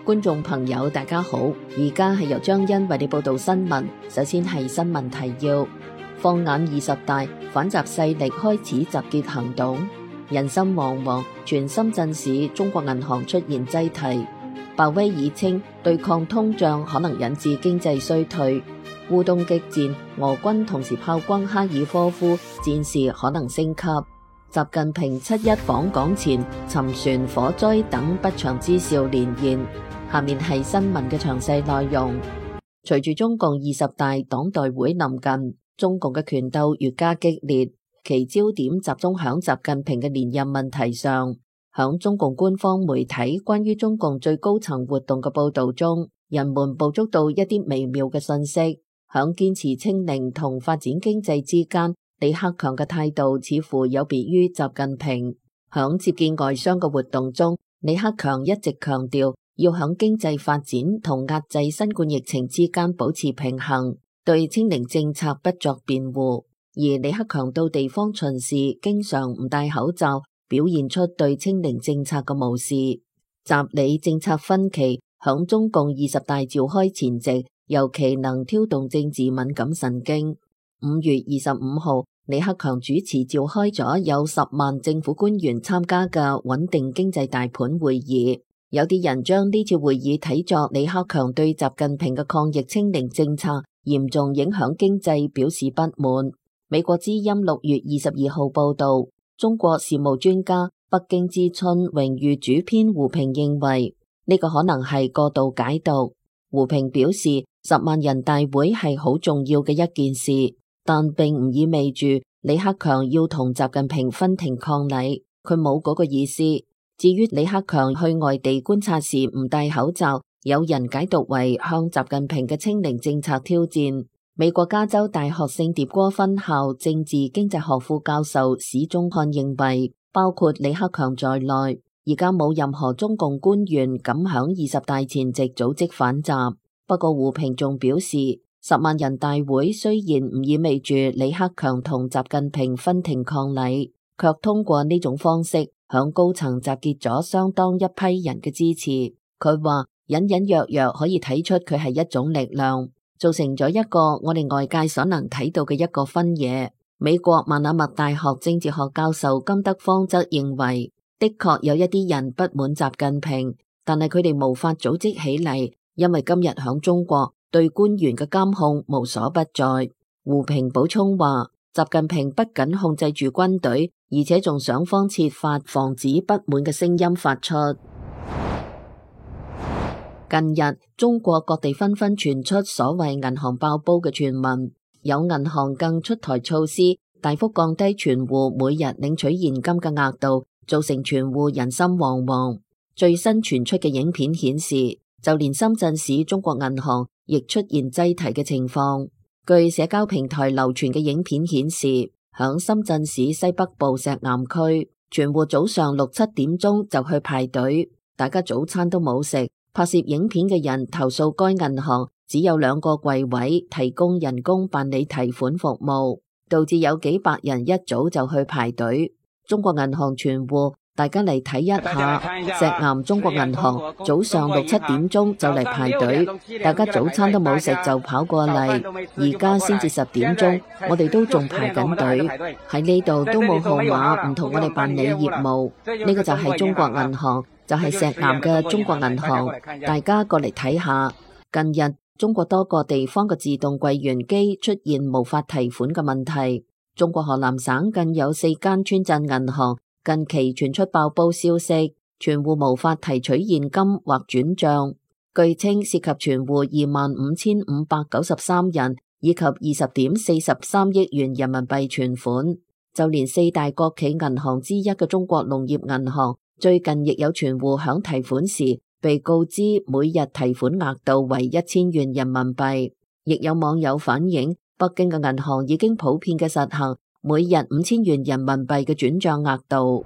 觀眾朋友大家好，而家係由張欣為你報道新聞。首先係新聞提要：放眼20大，反習勢力開始集結行動，人心惶惶。全深圳市中國銀行出現擠提。鮑威爾稱對抗通脹可能引致經濟衰退。烏東激戰，俄軍同時炮轟哈爾科夫，戰事可能升級。習近平7·1訪港前沉船、火災等不祥之兆連延。下面係新聞嘅詳細內容。隨住中共20大黨代會臨近，中共嘅權鬥越加激烈，其焦點集中響習近平嘅連任問題上。響中共官方媒體關於中共最高層活動嘅報道中，人們捕捉到一啲微妙嘅信息。響堅持清零同發展經濟之間，李克強嘅態度似乎有別於習近平。響接見外商嘅活動中，李克強一直強調要響經濟發展同壓制新冠疫情之間保持平衡，對清零政策不作辯護。而李克強到地方巡視，經常唔戴口罩，表現出對清零政策嘅無視。習李政策分歧響中共20大召開前夕，尤其能挑動政治敏感神經。5月25號，李克強主持召開咗有10萬政府官員參加嘅穩定經濟大盤會議。有啲人將呢次會議睇作李克強對習近平嘅抗疫清零政策嚴重影響經濟表示不滿。美國之音6月22號報道，中國事務專家、北京之春榮譽主編胡平認為呢個可能係過度解讀。胡平表示，10萬人大會係好重要嘅一件事，但並唔意味住李克強要同習近平分庭抗禮，佢冇嗰個意思。至於李克強去外地觀察時唔戴口罩，有人解讀為向習近平嘅清零政策挑戰。美國加州大學聖迭戈分校政治經濟學副教授史宗漢認為，包括李克強在內，而家冇任何中共官員敢響20大前夕組織反習。不過胡平仲表示，10萬人大會雖然唔意味住李克強同習近平分庭抗禮，卻通過呢種方式響高層集結咗相當一批人嘅支持。佢話隱隱約約可以睇出佢係一種力量，造成咗一個我哋外界所能睇到嘅一個分野。美國曼納默大學政治學教授金德芳則認為，的確有一啲人不滿習近平，但係佢哋無法組織起嚟，因為今日響中國對官員嘅監控無所不在。胡平補充話，習近平不僅控制住軍隊，而且仲想方設法防止不滿嘅聲音發出。近日，中國各地紛紛傳出所謂銀行爆煲嘅傳聞，有銀行更出台措施，大幅降低存戶每日領取現金嘅額度，造成存戶人心惶惶。最新傳出嘅影片顯示，就連深圳市中國銀行亦出現擠提嘅情況。據社交平台流傳嘅影片顯示，響深圳市西北部石岩區，存戶早上6、7點鐘就去排隊，大家早餐都冇食。拍攝影片嘅人投訴該銀行只有2個櫃位提供人工辦理提款服務，導致有幾百人一早就去排隊。中國銀行存戶，大家嚟睇一下石岩中國銀行早上6、7點鐘就嚟排隊，大家早餐都冇食就跑過嚟，而家先至10點鐘，我哋都仲排緊隊，喺呢度都冇號碼，唔同我哋辦理業務。呢個就係中國銀行，就係石岩嘅中國銀行，大家過嚟睇下。近日中國多個地方嘅自動櫃員機出現無法提款嘅問題，中國河南省近有4間村鎮銀行近期傳出爆煲消息，存戶無法提取現金或轉賬，據稱涉及存戶25,593人以及20.43億元人民幣存款。就連4大國企銀行之一嘅中國農業銀行，最近亦有存戶響提款時被告知每日提款額度為1000元人民幣。亦有網友反映，北京嘅銀行已經普遍嘅實行每日5000元人民幣嘅轉賬額度。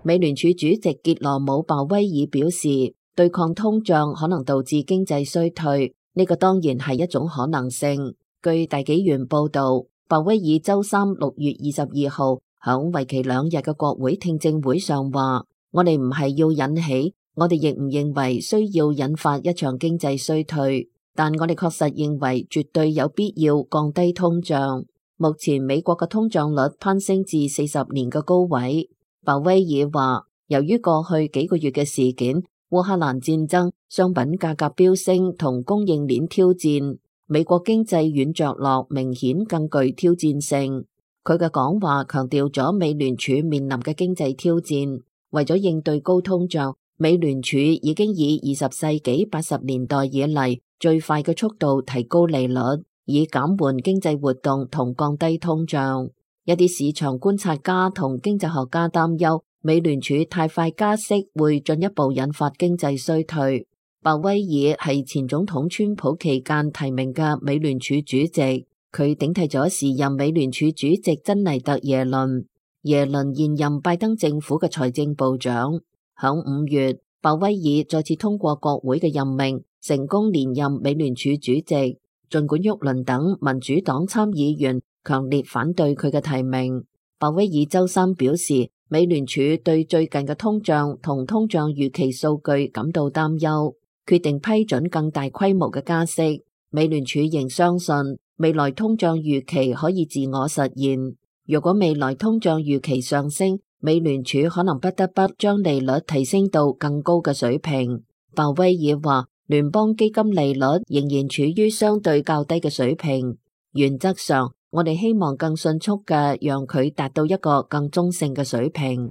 美聯儲主席傑羅姆鮑威爾表示，對抗通脹可能導致經濟衰退，呢個當然係一種可能性。據大紀元報道，鮑威爾周三6月22號響為期2日嘅國會聽證會上話，我哋唔係要引起我哋亦唔認為需要引發一場經濟衰退，但我哋確實認為絕對有必要降低通脹。目前美國嘅通脹率攀升至40年嘅高位。鮑威爾話，由於過去幾個月嘅事件，烏克蘭戰爭、商品價格飆升同供應鏈挑戰，美國經濟軟着陸明顯更具挑戰性。佢嘅講話強調咗美聯儲面臨嘅經濟挑戰。為咗應對高通脹，美聯儲已經以20世紀80年代以嚟最快嘅速度提高利率，以減緩經濟活動同降低通脹。一啲市場觀察家同經濟學家擔憂，美聯儲太快加息會進一步引發經濟衰退。鮑威爾係前總統川普期間提名嘅美聯儲主席，佢頂替咗時任美聯儲主席珍妮特耶倫。耶倫現任拜登政府嘅財政部長。響5月，鮑威爾再次通過國會嘅任命，成功連任美聯儲主席。儘管沃倫等民主黨參議員強烈反對佢嘅提名，鮑威爾周三表示，美聯儲對最近嘅通脹同通脹預期數據感到擔憂，決定批准更大規模嘅加息。美聯儲仍相信未來通脹預期可以自我實現。如果未來通脹預期上升，美聯儲可能不得不將利率提升到更高嘅水平。鮑威爾話，聯邦基金利率仍然處於相對較低嘅水平。原則上，我哋希望更迅速嘅讓佢達到一個更中性嘅水平。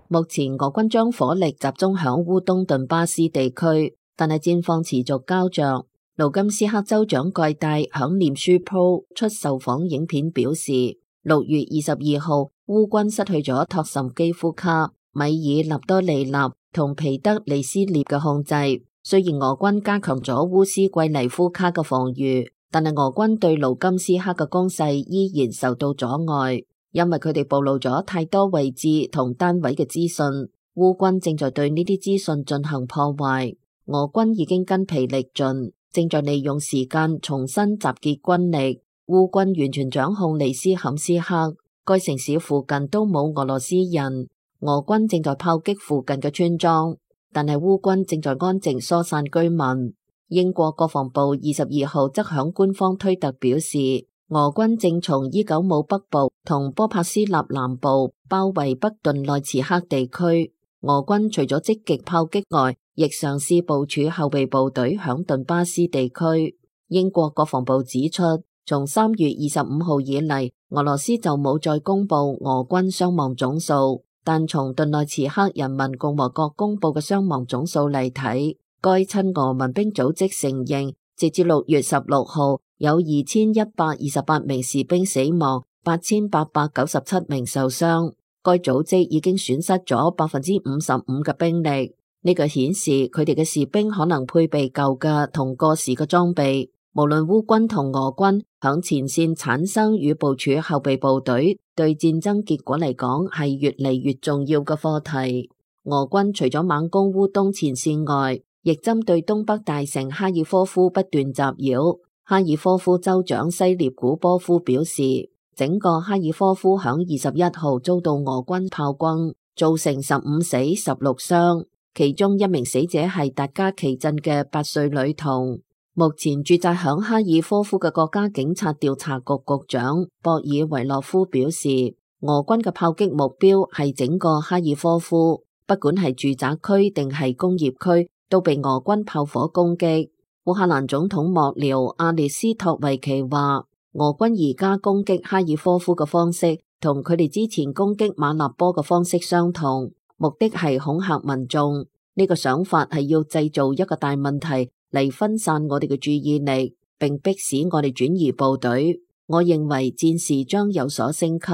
目前俄軍將火力集中響烏東頓巴斯地區，但係戰況持續膠着。盧甘斯克州長蓋戴響臉書鋪出受訪影片表示，6月22號烏軍失去咗托什基夫卡、米爾納多利納同皮德利斯涅嘅控制。雖然俄軍加強咗烏斯季尼夫卡嘅防禦，但係俄軍對盧甘斯克嘅攻勢依然受到阻礙，因為佢哋暴露咗太多位置同單位嘅資訊。烏軍正在對呢啲資訊進行破壞，俄軍已經筋疲力盡，正在利用時間重新集結軍力。烏軍完全掌控利斯坎斯克，該城市附近都冇俄羅斯人。俄軍正在炮擊附近嘅村莊，但係烏軍正在安靜疏散居民。英國國防部22號則響官方推特表示，俄軍正從伊久姆北部同波帕斯納南部包圍北頓內茨克地區。俄軍除咗積極炮擊外，亦嘗試部署後備部隊響頓巴斯地區。英國國防部指出，從3月25號以嚟，俄羅斯就冇再公布俄軍傷亡總數，但從頓內茨克人民共和國公布嘅傷亡總數嚟睇，該親俄民兵組織承認，截至6月16號有2128名士兵死亡，8897名受傷。該組織已經損失咗55%嘅兵力。呢個顯示佢哋嘅士兵可能配備舊嘅同過時嘅裝備。無論烏軍同俄軍響前線產生與部署後備部隊，對戰爭結果嚟講係越嚟越重要嘅課題。俄軍除咗猛攻烏東前線外，亦針對東北大城哈爾科夫不斷襲擾。哈爾科夫州長西列古波夫表示，整個哈爾科夫響21號遭到俄軍炮轟，造成15死16傷。其中一名死者係達加奇鎮嘅8歲女童。目前駐紮響哈爾科夫嘅國家警察調查局局長博爾維洛夫表示，俄軍嘅炮擊目標係整個哈爾科夫，不管係住宅區定係工業區，都被俄軍炮火攻擊。烏克蘭總統幕僚阿列斯托維奇話，俄軍而家攻擊哈爾科夫嘅方式同佢哋之前攻擊馬納波嘅方式相同，目的係恐嚇民眾。呢個想法係要製造一個大問題嚟分散我哋嘅注意力，並迫使我哋轉移部隊。我認為戰事將有所升級。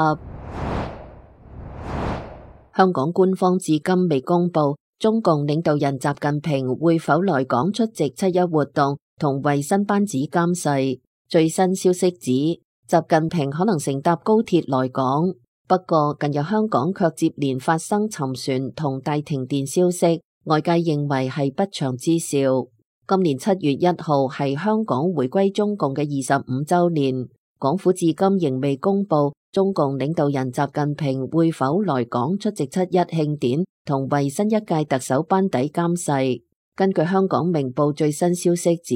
香港官方至今未公布中共領導人習近平會否來港出席7·1活動同為新班子監誓。最新消息指，習近平可能乘搭高鐵來港，不過近日香港卻接連發生沉船同大停電消息，外界認為係不祥之兆。今年7月1號係香港回歸中共嘅25週年，港府至今仍未公布中共領導人習近平會否來港出席7·1慶典同為新一屆特首班底監誓。根據香港明報最新消息指，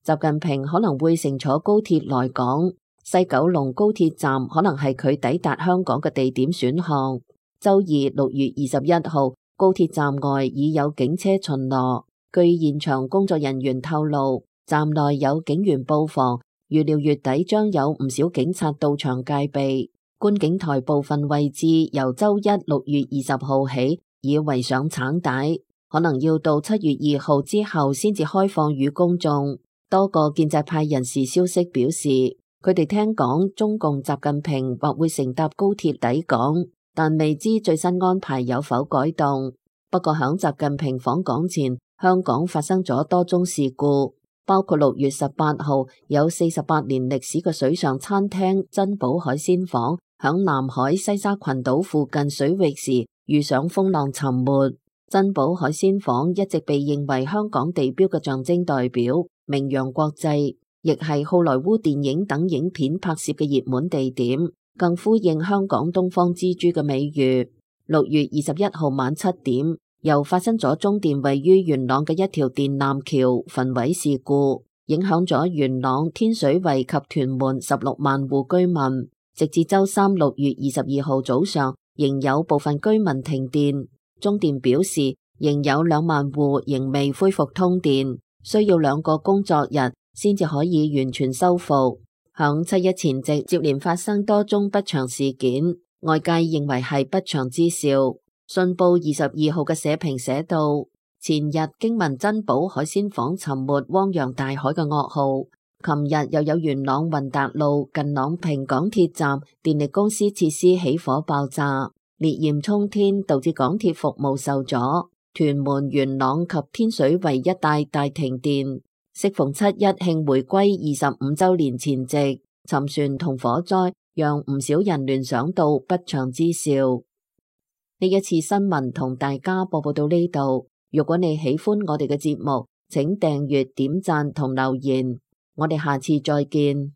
習近平可能會乘坐高鐵來港，西九龍高鐵站可能係佢抵達香港嘅地點選項。周二6月21號，高鐵站外已有警車巡邏。據現場工作人員透露，站內有警員布防，預料月底將有唔少警察到場戒備。觀景台部分位置由周一6月20號起已圍上橙帶，可能要到7月2號之後先至開放予公眾。多個建制派人士消息表示，佢哋聽講中共習近平或會乘搭高鐵抵港，但未知最新安排有否改動。不過響習近平訪港前，香港發生咗多宗事故，包括6月18號有48年歷史嘅水上餐廳珍寶海鮮舫響南海西沙群島附近水域時遇上風浪沉沒。珍寶海鮮舫一直被認為香港地標嘅象徵代表，名揚國際，亦係好萊塢電影等影片拍攝嘅熱門地點，更呼應香港東方之珠嘅美譽。6月21號晚7點，又發生咗中電位於元朗嘅一條電纜橋焚毀事故，影響咗元朗、天水圍及屯門16萬戶居民。直至周三6月22號早上，仍有部分居民停電。中電表示，仍有2萬戶仍未恢復通電，需要2個工作日先至可以完全修復。響7·1前夕，接連發生多宗不祥事件，外界認為係不祥之兆。信報22號嘅社評寫道：前日驚聞珍寶海鮮舫沉沒汪洋大海嘅噩耗，琴日又有元朗運達路近朗屏港鐵站電力公司設施起火爆炸，烈焰衝天，導致港鐵服務受阻，屯門、元朗及天水圍一帶大停電。適逢7·1慶回歸25週年前夕，沉船同火災讓唔少人聯想到不祥之兆。呢一次新聞同大家播報到呢度。如果你喜歡我哋嘅節目，請訂閱、點讚同留言。我哋下次再見。